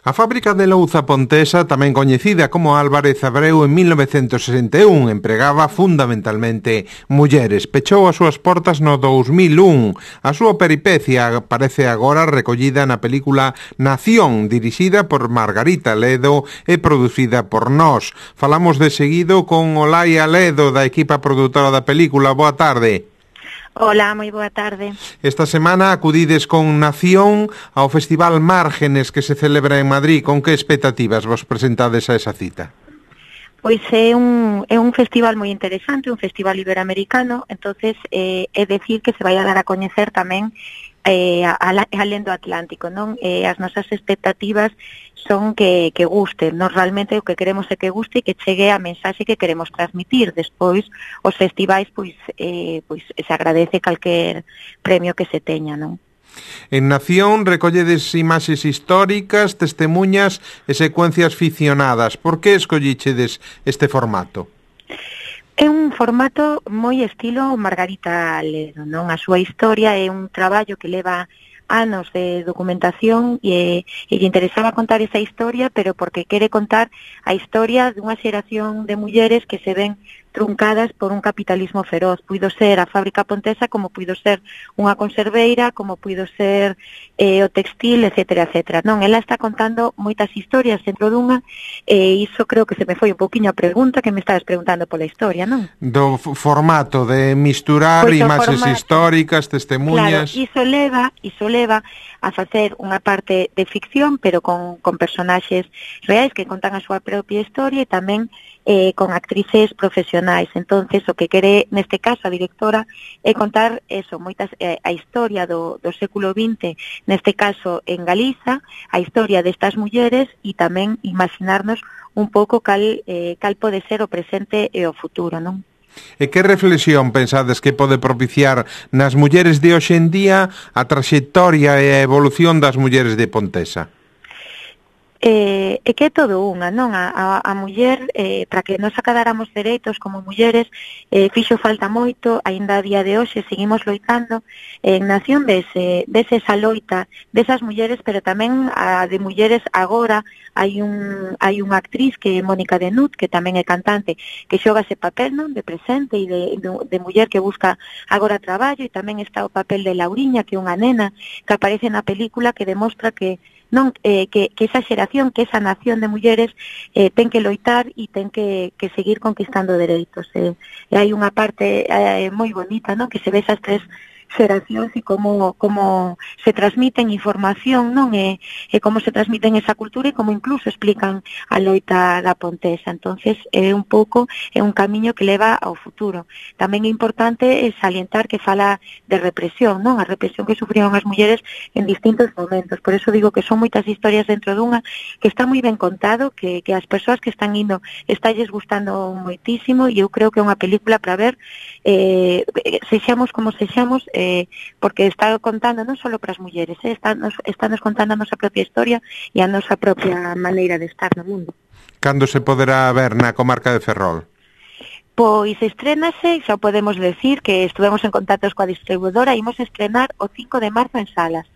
A fábrica de louza pontesa, tamén coñecida como Álvarez Abreu, en 1961 empregaba fundamentalmente mulleres. Pechou as súas portas no 2001. A súa peripecia aparece agora recollida na película Nación, dirixida por Margarita Ledo e producida por Nós. Falamos de seguido con Olaia Ledo, da equipa produtora da película. Boa tarde. Hola, moi boa tarde. Esta semana acudides con Nación ao Festival Márgenes que se celebra en Madrid. Con que expectativas vos presentades a esa cita? Pois é un festival moi interesante, un festival iberoamericano, entonces é decir que se vai a dar a coñecer tamén alén do Atlántico, non? As nosas expectativas son que guste. Nos realmente o que queremos é que guste e que chegue a mensaxe que queremos transmitir. Despois, os festivais, pois se agradece calquer premio que se teña, non? En Nación recolledes imaxes históricas, testemunhas e secuencias ficcionadas. Por que escollichedes este formato? É un formato moi estilo Margarita Ledo, non? A súa historia é un traballo que leva anos de documentación e lle interesaba contar esa historia, pero porque quere contar a historia dunha xeración de mulleres que se ven truncadas por un capitalismo feroz. Puido ser a fábrica pontesa, como puido ser unha conserveira, como puido ser o textil, etcétera, etcétera. Non, ela está contando moitas historias dentro dunha, e iso creo que se me foi un pouquiño a pregunta que me estabas preguntando pola historia, non? Do formato de misturar pois imaxes históricas, testemunhas. Claro, iso leva a facer unha parte de ficción, pero con personaxes reais que contan a súa propia historia e tamén con actrices profesionais. Entonces, o que quere, neste caso, a directora, é contar eso, moitas a historia do século XX, neste caso en Galiza, a historia destas mulleres e tamén imaginarnos un pouco cal pode ser o presente e o futuro, non? E que reflexión pensades que pode propiciar nas mulleres de hoxe en día a traxectoria e a evolución das mulleres de Pontesa? É que é todo unha, non? A muller, para que nos acadáramos dereitos como mulleres, fixo falta moito, aínda a día de hoxe seguimos loitando. En Nación dese esa loita desas mulleres, pero tamén a de mulleres agora. Hai unha actriz que é Mónica Denut, que tamén é cantante, que xoga ese papel, non? De presente e de muller que busca agora traballo, e tamén está o papel de Lauriña, que é unha nena que aparece na película, que demostra que non que esa xeración, que esa nación de mulleres ten que loitar e ten que seguir conquistando dereitos. E hai unha parte moi bonita, non? Que se ve esas tres xeracións e como se transmiten información, non? E como se transmiten esa cultura e como incluso explican a loita da Pontesa. Entonces é un pouco, é un camiño que leva ao futuro. Tamén é importante salientar que fala de represión, non? A represión que sufrieron as mulleres en distintos momentos. Por eso digo que son moitas historias dentro dunha, que está moi ben contado, que as persoas que están indo estalles gustando moitísimo, e eu creo que é unha película para ver, sexamos como sexamos, porque está contando non só para as mulleres, está nos contando a nosa propia historia e a nosa propia maneira de estar no mundo. Cando se poderá ver na comarca de Ferrol? Pois estrénase, xa podemos decir que estuvemos en contactos coa distribuidora, imos estrenar o 5 de marzo en salas.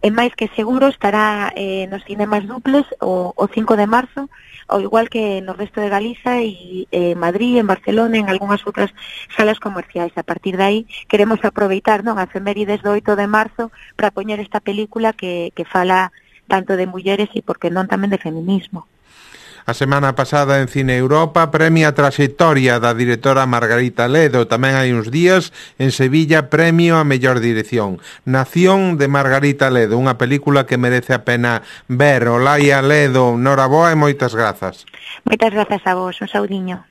É máis que seguro estará nos cinemas duples o 5 de marzo, ao igual que no resto de Galiza e Madrid, en Barcelona, en algunhas outras salas comerciais. A partir de aí queremos aproveitar, non, a efemérides do 8 de marzo para poñer esta película que fala tanto de mulleres e, por que non, tamén de feminismo. A semana pasada en Cine Europa premia a traxectoria da directora Margarita Ledo. Tamén hai uns días en Sevilla premio a mellor dirección. Nación, de Margarita Ledo, unha película que merece a pena ver. Olaia Ledo, noraboa e moitas grazas. Moitas grazas a vos, un saudiño.